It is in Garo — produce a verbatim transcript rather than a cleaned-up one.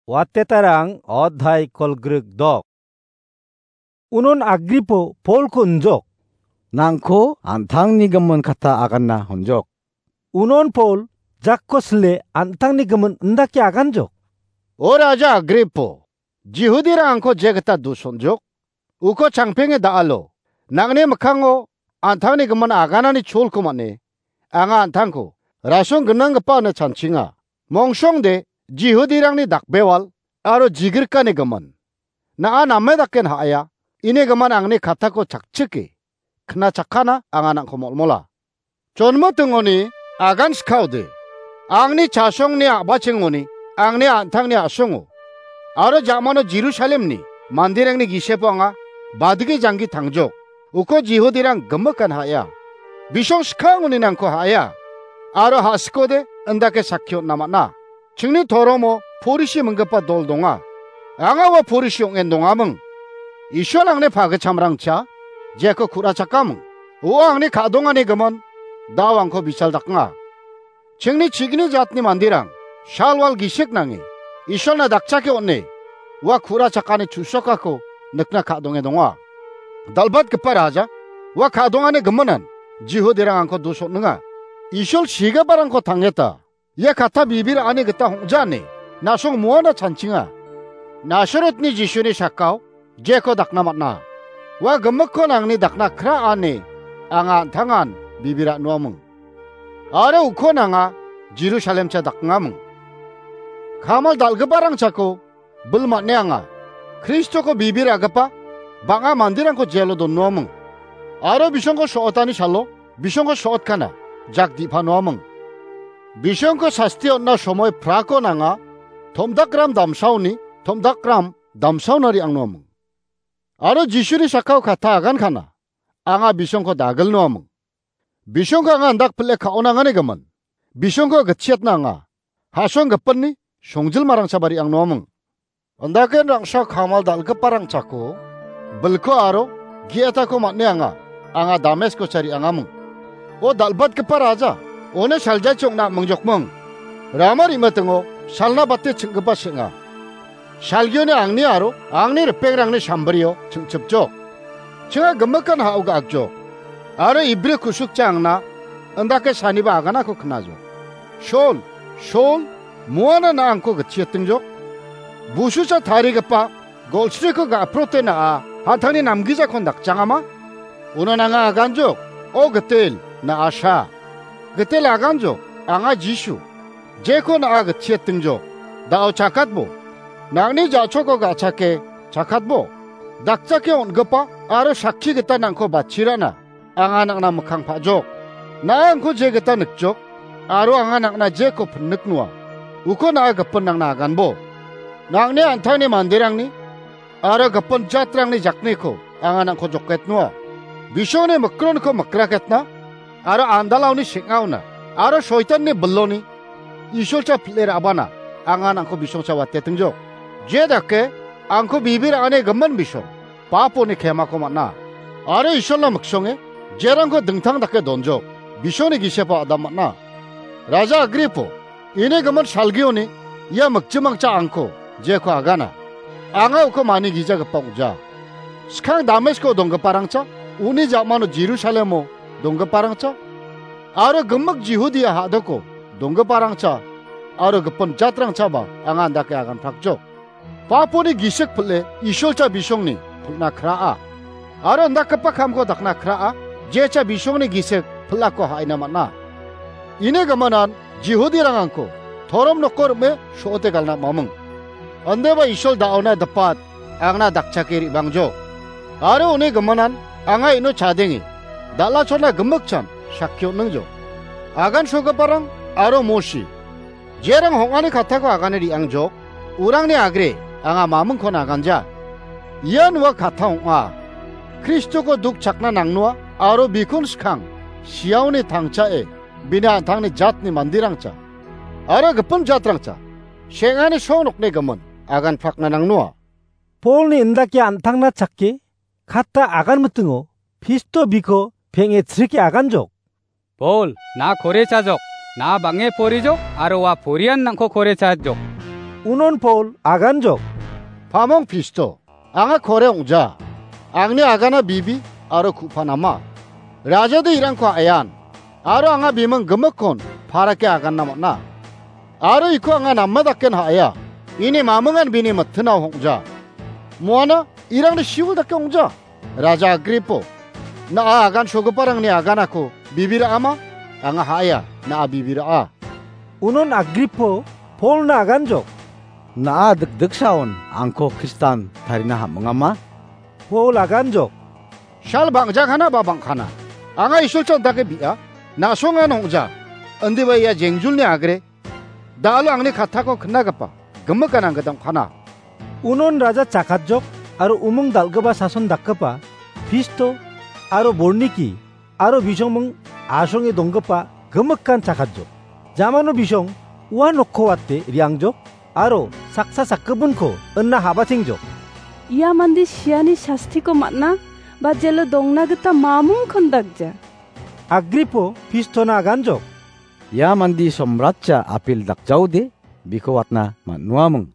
Watetarang odhai kolgrik dok. Unon Agripo Polko unjok. Nangko antangni gimin kata aganna honjok. Unon Pol jakko sile antangni gimin indake aganjok. O Raja Agripo, Jihudirang angko jegita dusonjok. Uko changpenge da·alo. Nangni mikkango antangni gimin aganani cholko man·e. Anga antangko rasong gnanggipa ine chanchinga. Mongsongde Jihudirangni dakbewal aro jigrikani gimin. Na·a name daken ha·aia, ini gimin angni katako chakchike. Kna chakkana anga nangko molmola. Chonmitingoni agan skaode. Angni chasongni a·bachengoni, angni antangni a·songo. Aro jamano Jerusalemni manderangni gisepo anga badigi janggi tangjok. Uko Jihudirang gimikan ha·aia. Bisong skangoni nangko ha·aia. Aro ha·sikode indake sakki on·na man·a. Chingni toromo porisi minggipa dol donga. Anga ua porisi ong·en dongaming. Isol angni pagitchamrangcha jeko ku·rachakaming. Uo angni ka·dongani gimin, dao angko bichal daknga. Chingni chigni jatni manderang, salwal gisik nange, Isolna dakchake on·e, ua ku·rachakani chu·sokako nikna ka·donge donga. Dal·batgipa raja, ua ka·dongani giminan, Jihudirang angko dusotninga. Isol sigiparangko tangeta, ia kata bibir ani gita hong·jani, nasong muana chanchinga. Nasarotni Jisuni sakao, jeko dakna man·a. Ua gimikko nangni dakna kra ani, anga an·tangan bibir a·nuaming. Aro uko nanga Jerusalemcha dakngaming. Kamal dal·giparangchako bil man·e anga. Kristoko bibir a·gipa bang·a manderangko jelo donnuaming. Aro bisongko so·otani salo, bisongko so·otkana, jak di·panuaming. Bisongko sasti on·na somoi prako nanga, tomdakram damsaoni, tomdakram damsaona re·angnuaming. Aro Jisuni sakao kata agankana, anga bisongko dagilnuaming. Bisongko anga andak pile ka·onangani gimin. Bisongko gitchiatna anga, ha·song gipinni songjilmarangchaba re·angnuaming. Andaken rangsa kamal dal·giparangchako, bilko aro ge·etako man·e anga, anga Dameskocha re·angaming. O dal·batgipa raja, one saljachi ong·na am·mingjokming. Rama re·mitingo salna bate ching·gipa seng·a. Salgioni angni aro angni ripengrangni sambrio ching·chipjok. Chinga gimikan ha·o ga·akjok. Aro ibri kusukcha angna indake saniba aganako knajok. Sol, Sol, muana na angko gitchiatingjok. Busucha tarigipa golsriko ga·prote na·a, hatangni namgijakon dakchangama? Uno nanga aganjok, o gitel, na·a sa. Gitel aganjok, anga Jisu. Jeko na·a gitchiatingjok. Da·o chakatbo. Nangni ja·choko ga·chake, chakatbo. Dakchake on·gipa aro sakki gita nangko bachirana. Anga nangna mikkang pa·jok. Na·a angko je gita nikjok, aro anga nangna jeko pinniknoa. Uko na·a gipin nangna aganbo. Nangni an·tangni manderangni aro gipin jatrangni jakniko anga nangko joketnoa. Bisongni mikronko mikraketna aro andalaoni seng·aona aro soitanni biloni Isolcha pil·e ra·bana anga nangko bisongcha watetingjok. Je dake angko bibir a·ani gimin bisong, paponi kemako man·a. Aro Isolna miksonge jerangko dingtang dake donjok, bisongni gisepo adam man·a. Raja Agripo, ini gimin salgioni ia mikjimangcha angko jeko agana. Anga uko mani gijagipa ong·ja. Skang Damesko donggiparangcha, uni ja·mano Jerusalemo donggiparangcha, aro gimik Jihudia ha·doko donggiparangcha, aro gipin jatrangchaba anga andake aganprakjok. Paponi gisik pil·e Isolcha bisongni pil·na kra·a. Aro indakgipa kamko dakna kra·a, jecha bisongni gisik pil·ako ha·aina man·a. Ini giminan Jihudirang angko torom noko rim·e so·ote galna maming. Andeba Isol da·ona dipat angna dakchake re·bangjo. Aro uni giminan anga ino chadenge, dal·achona gimikchan sakki on·ningjo. Agan sogiparang aro Mosi, jerang hong·ani katako agane re·angjok, urangni agre anga mamingkon aganja. Ian ua kata ong·a. Kristoko duk chakna nangnoa aro bikon skang siaoni tangchae bini an·tangni jatni manderangcha aro gipin jatrangcha seng·ani song nokni gimin agan prakna nangnoa. Polni indake an·tangna chake kata agan mitingo Pisto biko peng·e chrike aganjok. Pol, na kore chajok, na bang·e porijok, aro ua porian nangko kore chajok. Unon Pol aganjok, "Pamong Pisto, anga kore ong·ja. Angni agana bibi aro ku·panama. Rajade irangko a·ean, aro anga biming gimikkon parake aganna man·a. Aro iko anga nama daken ha·ea. Ini mamingan bini mittino ong·ja. Muana irangni siwil dake ong·ja. Raja Agripo, na·a agansogiparangni aganako bibi ra·ama? Anga ha·ea, na·a bibi ra·a." Unon Agripo Polna aganjok, "Na·a dikdiksaon angko Kristan tarina ham·ingama?" Pol aganjok, "Sal bang·jakana ba bang·kana? Anga Isolchak dake bi·a, na·songan ong·ja. Indiba ia jengjulni agre da·alo angni kattako knagipa gimikan anggita ong·kana." Unon raja chakatjok aro umung dal·gipa sason dakgipa Pisto aro Borniki aro bisongming asonge donggipa gimikan chakatjok. Jamano bisong ua nokko wate re·angjok aro saksa sakgipinko ina habatengjok, "Ia mande siani sastiko man·a ba jelo dongna gita mamungkon dakja." Agripo Pistona aganjok, "Ia mande somratcha apil dakjaode biko watna man·uaming."